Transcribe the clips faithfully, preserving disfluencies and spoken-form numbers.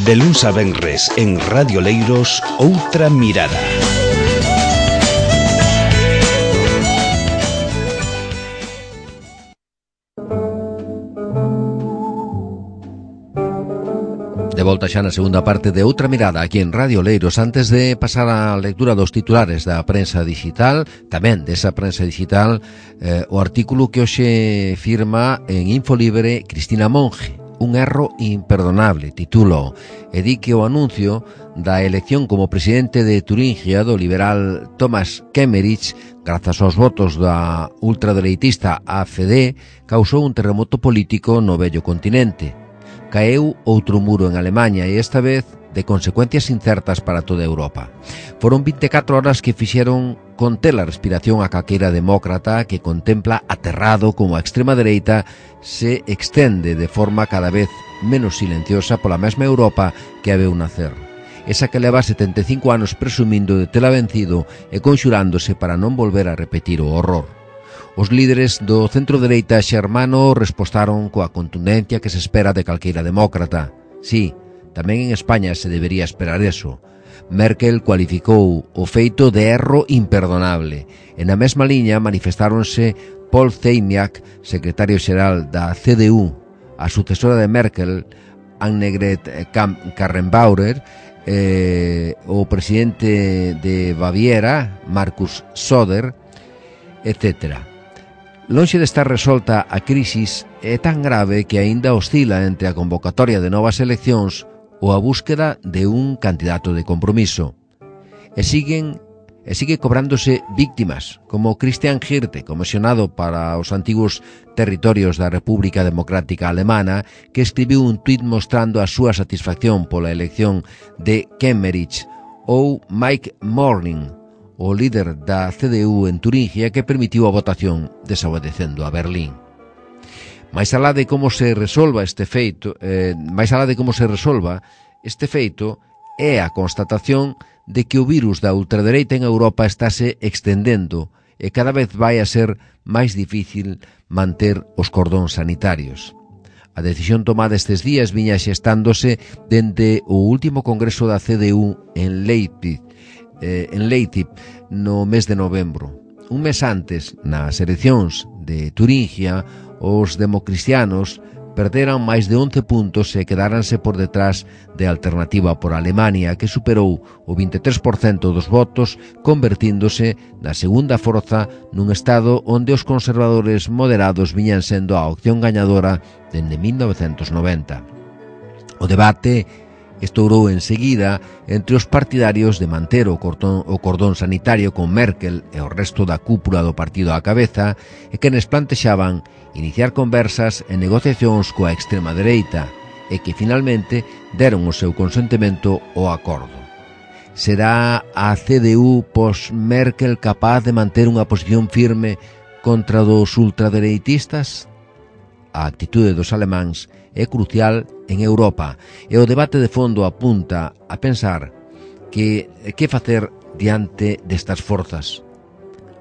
De luns a venres en Radio Leiros, Outra Mirada. De volta xa na segunda parte de Outra Mirada aquí en Radio Leiros. Antes de pasar á lectura dos titulares da prensa digital, tamén desa prensa digital, eh, o artículo que hoxe firma en Infolibre Cristina Monge, un erro imperdonable, titulo, e di que o anuncio da elección como presidente de Turingia do liberal Thomas Kemmerich, grazas aos votos da ultradereitista A F D, causou un terremoto político no vello continente. Caeu outro muro en Alemanha e esta vez de consecuencias incertas para toda Europa. Foron vinte e catro horas que fixeron conter a respiración a calqueira demócrata que contempla aterrado como a extrema dereita se extende de forma cada vez menos silenciosa pola mesma Europa que a veu nacer. Esa que leva setenta e cinco anos presumindo de tela vencido e conxurándose para non volver a repetir o horror. Os líderes do centro-dereita xermano respostaron coa contundencia que se espera de calqueira demócrata. Sí, tamén en España se debería esperar eso. Merkel cualificou o feito de erro imperdonable. E na mesma liña manifestáronse Paul Ziemiak, secretario xeral da C D U, a sucesora de Merkel, Annegret Kramp-Karrenbauer, eh, o presidente de Baviera, Markus Söder, etcétera. Lonxe de estar resolta a crisis, é tan grave que aínda oscila entre a convocatoria de novas eleccións ou a búsqueda de un candidato de compromiso. E siguen e sigue cobrándose víctimas, como Christian Hirte, comisionado para os antigos territorios da República Democrática Alemana, que escribiu un tuit mostrando a súa satisfacción pola elección de Kemmerich, ou Mike Morning, o líder da C D U en Turingia, que permitiu a votación desobedecendo a Berlín. Mais alá de como se resolva este feito, eh, máis alá de como se resolva este feito é a constatación de que o virus da ultradereita en Europa estáse extendendo e cada vez vai a ser máis difícil manter os cordóns sanitarios. A decisión tomada estes días viña xestándose dende o último congreso da C D U en Leipzig, eh, en Leipzig no mes de novembro. Un mes antes, nas eleccións de Turingia, os democristianos perderan máis de once puntos e quedáranse por detrás de Alternativa por Alemania, que superou o vinte e tres por cento dos votos, convertíndose na segunda forza nun estado onde os conservadores moderados viñan sendo a opción gañadora dende mil novecentos noventa. O debate estourou enseguida entre os partidarios de manter o cordón, o cordón sanitario con Merkel e o resto da cúpula do partido á cabeza e quenes plantexaban iniciar conversas e negociacións coa extrema dereita e que finalmente deron o seu consentimento ao acordo. Será a C D U pos-Merkel capaz de manter unha posición firme contra dos ultradereitistas? A actitude dos alemáns é crucial en Europa e o debate de fondo apunta a pensar que que facer diante destas forzas.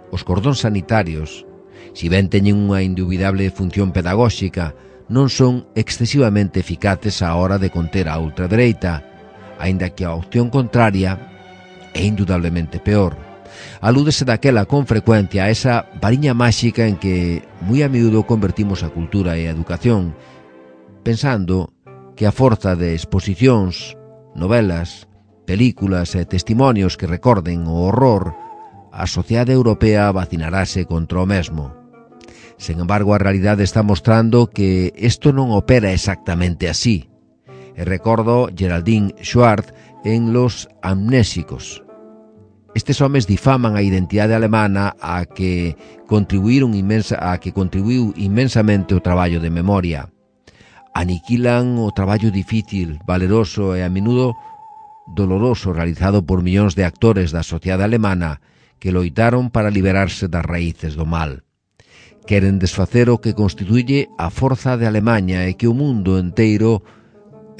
Os cordóns sanitarios, si ben teñen unha indubidable función pedagóxica, non son excesivamente eficaces á hora de conter a ultradereita, aínda que a opción contraria é indudablemente peor. Alúdese daquela con frecuencia a esa variña máxica en que moi a miúdo convertimos a cultura e a educación, pensando que a forza de exposicións, novelas, películas e testimonios que recorden o horror, a sociedade europea vacinarase contra o mesmo. Sen embargo, a realidade está mostrando que isto non opera exactamente así. E recordo Geraldine Schwartz en Los Amnésicos. Estes homes difaman a identidade alemana a que contribuíron inmensa, a que contribuiu inmensamente o traballo de memoria. Aniquilan o traballo difícil, valeroso e a menudo doloroso realizado por millóns de actores da sociedade alemana que loitaron para liberarse das raíces do mal. Queren desfacer o que constituye a forza de Alemaña e que o mundo enteiro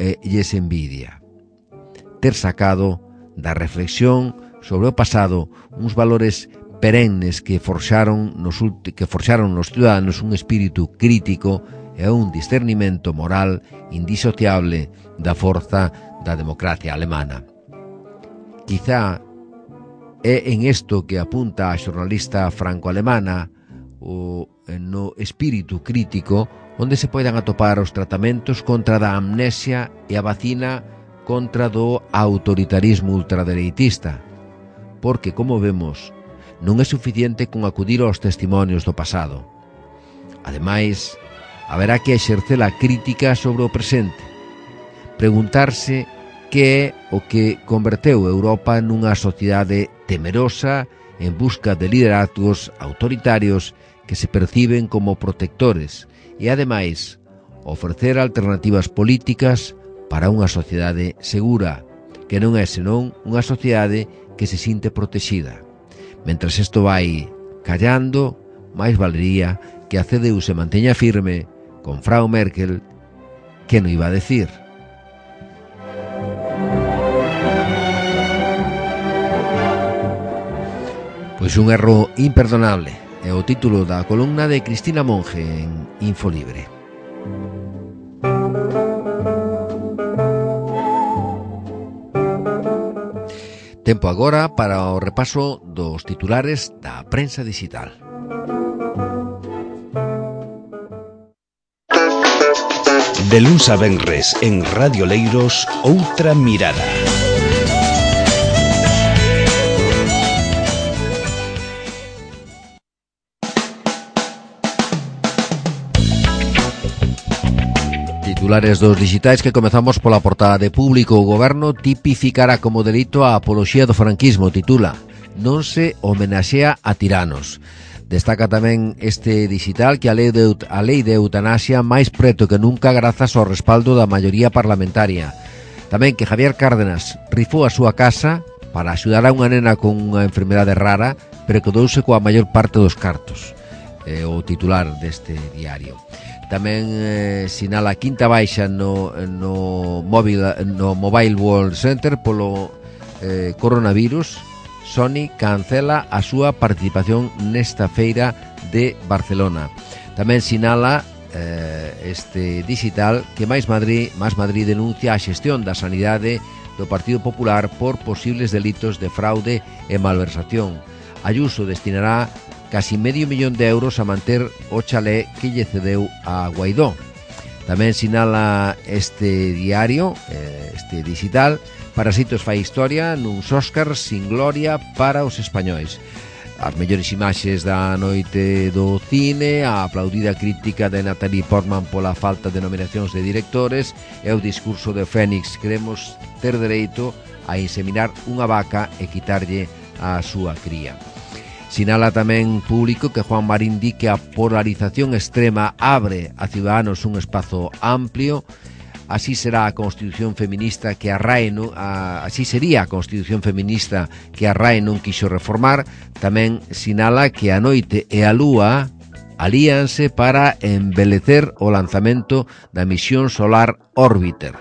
eh, lles envidia. Ter sacado da reflexión sobre o pasado uns valores perennes que forxaron nos, que forxaron nos ciudadanos un espírito crítico e un discernimento moral indisociable da forza da democracia alemana. Quizá é en isto que apunta a xornalista franco-alemana o no espírito crítico onde se poidan atopar os tratamentos contra da amnesia e a vacina contra do autoritarismo ultradereitista, porque, como vemos, non é suficiente con acudir aos testimonios do pasado. Ademais, haberá que exercer a crítica sobre o presente, preguntarse que é o que converteu Europa nunha sociedade temerosa en busca de liderazgos autoritarios que se perciben como protectores e, ademais, ofrecer alternativas políticas para unha sociedade segura, que non é senón unha sociedade que se sinte protexida. Mentras isto vai callando, máis valería que a C D U se manteña firme con Frau Merkel, que non iba a decir. Pois un erro imperdonable é o título da columna de Cristina Monge en Infolibre. Tempo agora para o repaso dos titulares da prensa digital. De luns a venres en Radio Leiros, Outra Mirada. Titulares dos digitais que comezamos pola portada de Público. O Goberno tipificará como delito a apoloxía do franquismo, titula. Non se homenaxea a tiranos. Destaca tamén este digital que a lei de, a lei de eutanasia máis preto que nunca grazas ao respaldo da maioría parlamentaria. Tamén que Javier Cárdenas rifou a súa casa para axudar a unha nena con unha enfermedade rara, pero quedouse coa maior parte dos cartos. É o titular deste diario. Tamén eh, sinala a quinta baixa no, no, mobile, no Mobile World Center polo eh, coronavirus. Sony cancela a súa participación nesta feira de Barcelona. Tamén sinala eh, este digital que Máis Madrid, Máis Madrid denuncia a xestión da sanidade do Partido Popular por posibles delitos de fraude e malversación. Ayuso destinará casi medio millón de euros a manter o chalé que lle cedeu a Guaidó. Tamén sinala este diario, este digital, Parasitos fai historia nuns Óscars sin gloria para os españois. As mellores imaxes da noite do cine, a aplaudida crítica de Natalie Portman pola falta de nominacións de directores e o discurso de Fénix: queremos ter dereito a inseminar unha vaca e quitarlle a súa cría. Sinala tamén Público que Juan Marín di que a polarización extrema abre a Ciudadanos un espazo amplio. Así será a Constitución feminista que a R A E non, a, así sería a Constitución feminista que a R A E non quixo reformar. Tamén sinala que a noite e a lúa alíanse para embelecer o lanzamento da misión solar Orbiter.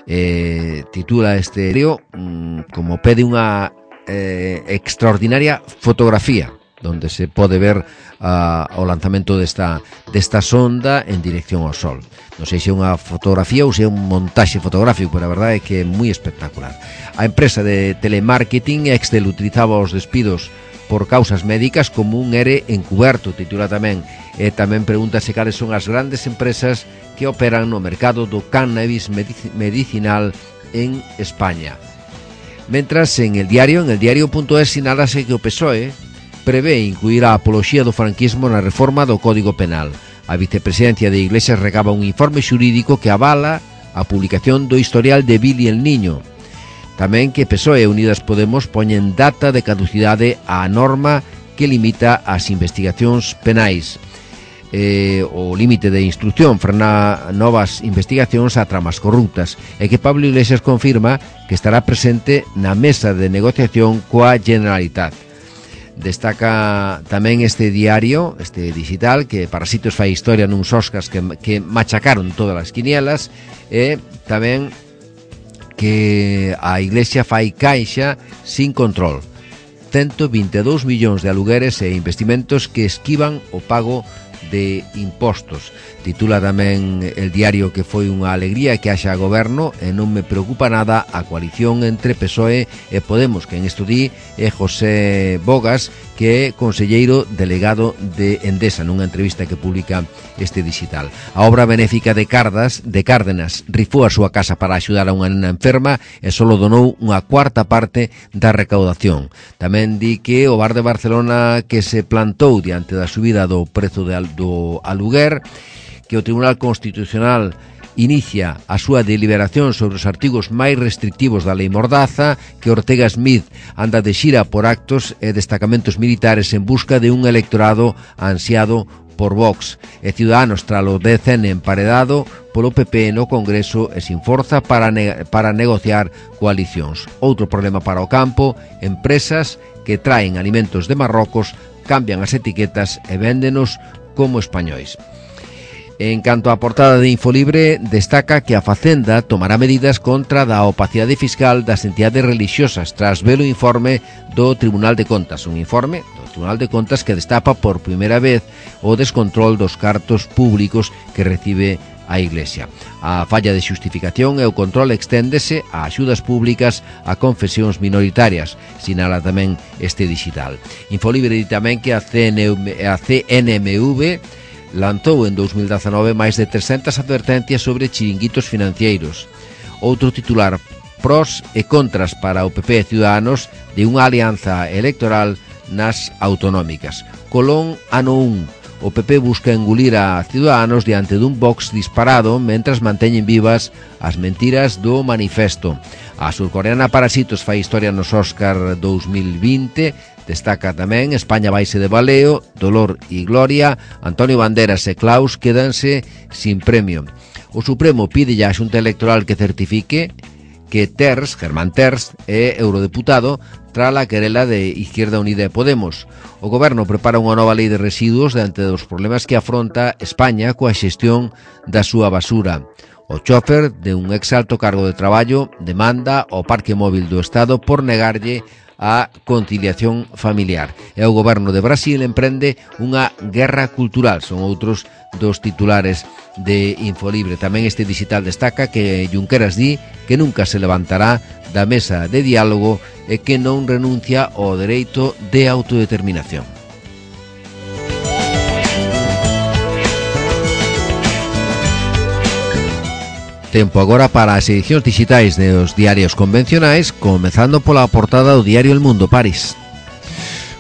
Eh, titula este vídeo mm, como pede unha eh, extraordinaria fotografía donde se pode ver uh, o lanzamento desta, desta sonda en dirección ao Sol. Non sei se é unha fotografía ou se é un montaxe fotográfico, pero a verdade é que é moi espectacular. A empresa de telemarketing Excel utilizaba os despidos por causas médicas como un ere encuberto, titula tamén. E tamén pregúntase cales son as grandes empresas que operan no mercado do cannabis medicinal en España. Mentras, en el diario, en el diario.es sinálase que o P S O E prevé incluir a apoloxía do franquismo na reforma do Código Penal. A vicepresidencia de Iglesias recaba un informe xurídico que avala a publicación do historial de Billy el Niño. Tamén que P S O E e Unidas Podemos poñen data de caducidade á norma que limita as investigacións penais. Eh, o límite de instrucción frena novas investigacións a tramas corruptas e que Pablo Iglesias confirma que estará presente na mesa de negociación coa Generalitat. Destaca tamén este diario, este digital, que Parasitos fai historia nuns Óscars que, que machacaron todas as quinielas, e tamén que a Iglesia fai caixa sin control. ciento vinte e dous millóns de alugueres e investimentos que esquivan o pago de impostos. Titula tamén el diario que foi unha alegría que haxa goberno e non me preocupa nada a coalición entre P S O E e Podemos, que en isto di é José Bogas, que é conselleiro delegado de Endesa, nunha entrevista que publica este digital. A obra benéfica de Cardas, de Cárdenas, rifou a súa casa para axudar a unha nena enferma e só donou unha cuarta parte da recaudación. Tamén di que o bar de Barcelona que se plantou diante da subida do prezo de, do aluguer, que o Tribunal Constitucional inicia a súa deliberación sobre os artigos máis restrictivos da Lei Mordaza, que Ortega Smith anda de xira por actos e destacamentos militares en busca de un electorado ansiado por Vox, e Ciudadanos tralo D C N emparedado polo P P no Congreso e sin forza para, ne- para negociar coalicións. Outro problema para o campo, empresas que traen alimentos de Marrocos, cambian as etiquetas e véndenos como españois. En canto á portada de Infolibre, destaca que a Facenda tomará medidas contra da opacidade fiscal das entidades religiosas tras ver o informe do Tribunal de Contas, un informe do Tribunal de Contas que destapa por primeira vez o descontrol dos cartos públicos que recibe a Iglesia. A falla de xustificación e o control exténdese a axudas públicas a confesións minoritarias, sinala tamén este digital. Infolibre di tamén que a C N M V lanzou en dous mil dezanove máis de trescentas advertencias sobre chiringuitos financeiros. Outro titular, pros e contras para o P P e Ciudadanos de unha alianza electoral nas autonómicas. Colón, ano un. O P P busca engulir a Ciudadanos diante dun Vox disparado mentras manteñen vivas as mentiras do manifesto. A surcoreana Parasitos fai historia nos Óscar dous mil vinte. Destaca tamén España vaise de baleo, Dolor e Gloria, Antonio Banderas e Klaus quédanse sin premio. O Supremo pide a Xunta Electoral que certifique que Terz, Germán Terz, é eurodeputado tras a querela de Izquierda Unida e Podemos. O Goberno prepara unha nova lei de residuos diante dos problemas que afronta España coa xestión da súa basura. O chofer de un exalto cargo de traballo demanda ao Parque Móvil do Estado por negarlle a conciliación familiar. E o goberno de Brasil emprende unha guerra cultural. Son outros dos titulares de Infolibre. Tamén este digital destaca que Junqueras di que nunca se levantará da mesa de diálogo e que non renuncia ao dereito de autodeterminación. Tempo agora para as edicións digitais dos diarios convencionais, comezando pola portada do diario El Mundo, París.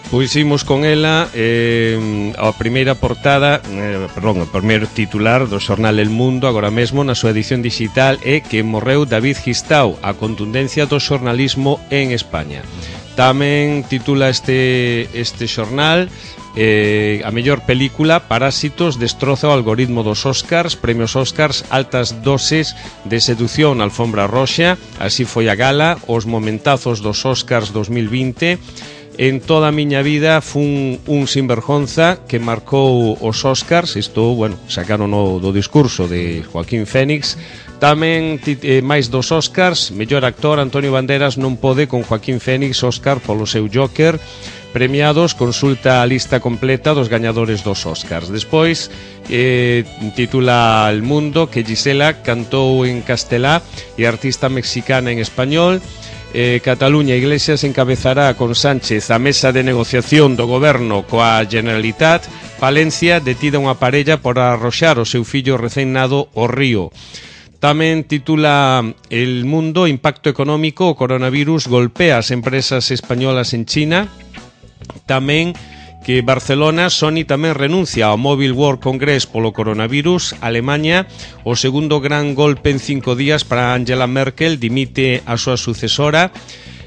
Pois imos con ela, eh, a primeira portada, eh, perdón, o primeiro titular do xornal El Mundo, agora mesmo na súa edición digital, é que morreu David Gistau, a contundencia do xornalismo en España. Tamén titula este, este xornal, Eh, a mellor película, Parásitos, destroza o algoritmo dos Óscars, premios Óscars, altas doses de sedución, alfombra roxa, así foi a gala, os momentazos dos Óscars dos mil vinte. En toda a miña vida fun un sinvergonza que marcou os Óscars, isto, bueno, sacaron o do discurso de Joaquín Fénix. Tamén eh, máis dos Óscars, mellor actor Antonio Banderas non pode con Joaquín Fénix, Óscar polo seu Joker. Premiados, consulta a lista completa dos gañadores dos Óscars. Despois, eh, titula El Mundo que Gisela cantou en castelá e artista mexicana en español. eh, Cataluña, Iglesias encabezará con Sánchez a mesa de negociación do goberno coa Generalitat. Palencia, detida unha parella por arroxar o seu fillo recén nado ao río. Tamén titula El Mundo, impacto económico, o coronavirus golpea as empresas españolas en China. Tamén que Barcelona, Sony tamén renuncia ao Mobile World Congress polo coronavirus. Alemania, o segundo gran golpe en cinco días para Angela Merkel, dimite a súa sucesora.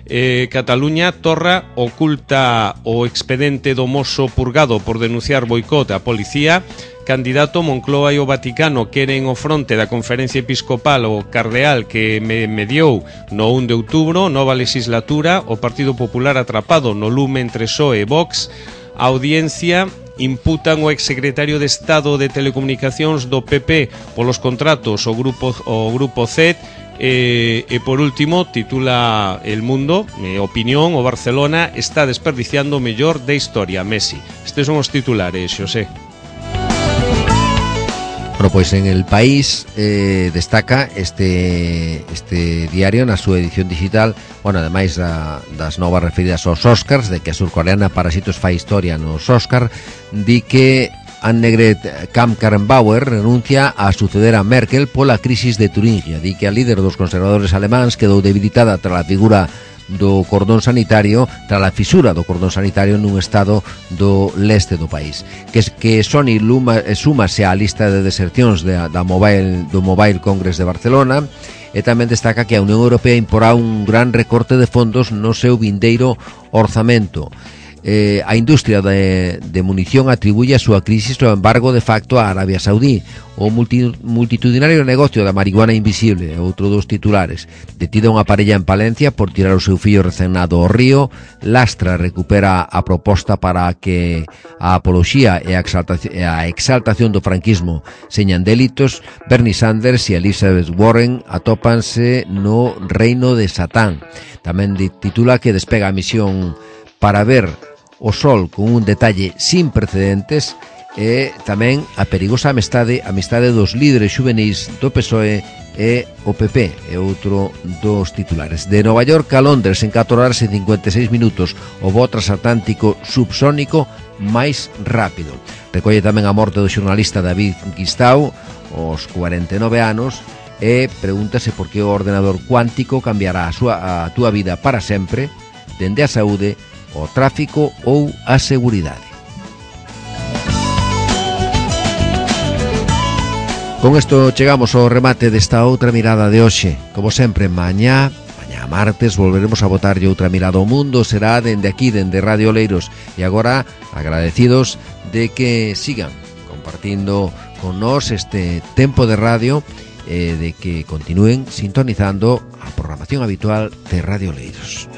Eh, Cataluña, Torra oculta o expedente do mozo purgado por denunciar boicot á policía. Candidato, Moncloa e o Vaticano queren o fronte da conferencia episcopal o cardeal que me mediou no un de outubro. Nova legislatura, o Partido Popular atrapado no lume entre P S O E e Vox. A audiencia, imputan o exsecretario de Estado de Telecomunicacións do P P polos contratos o grupo, o grupo Z. E, e por último, titula El Mundo, eh, opinión, o Barcelona está desperdiciando o mellor da historia, Messi. Estes son os titulares, Xosé. Bueno, pois en El País eh, destaca este este diario na súa edición digital, bueno, ademais da, das novas referidas aos Oscars, de que a surcoreana Parasitos fai historia nos Oscar, di que Annegret Kramp-Karrenbauer renuncia a suceder a Merkel pola crisis de Turingia. Di que a líder dos conservadores alemáns quedou debilitada tras a figura do cordón sanitario, tras a fisura do cordón sanitario nun estado do leste do país. Que, que Sony Luma, súmase á lista de desercións de, da Mobile, do Mobile Congress de Barcelona, e tamén destaca que a Unión Europea imporá un gran recorte de fondos no seu vindeiro orzamento. Eh, a industria de, de munición atribuye a súa crisis o embargo de facto a Arabia Saudí. O multi, multitudinario negocio da marihuana invisible, outro dos titulares. Detida unha parella en Palencia por tirar o seu fillo recenado ao río. Lastra recupera a proposta para que a apoloxía e a exaltación, a exaltación do franquismo señan delitos. Bernie Sanders e Elizabeth Warren atópanse no reino de Satán. Tamén titula que despega a misión para ver o sol con un detalle sin precedentes, e tamén a perigosa amistade amistade dos líderes xuvenis do P S O E e o P P, é outro dos titulares. De Nova York a Londres en catro horas e cincuenta e seis minutos, o voo transatlántico subsónico máis rápido. Recolle tamén a morte do xornalista David Gistau aos cuarenta e nove anos, e pregúntase por que o ordenador cuántico cambiará a, súa, a túa vida para sempre, dende a saúde, o tráfico ou a seguridade. Con isto chegamos ao remate desta outra mirada de hoxe. Como sempre, mañá, mañá martes, volveremos a botarlle outra mirada ao mundo. Será dende aquí, dende Radio Oleiros. E agora, agradecidos de que sigan compartindo con nós este tempo de radio, e de que continúen sintonizando a programación habitual de Radio Oleiros.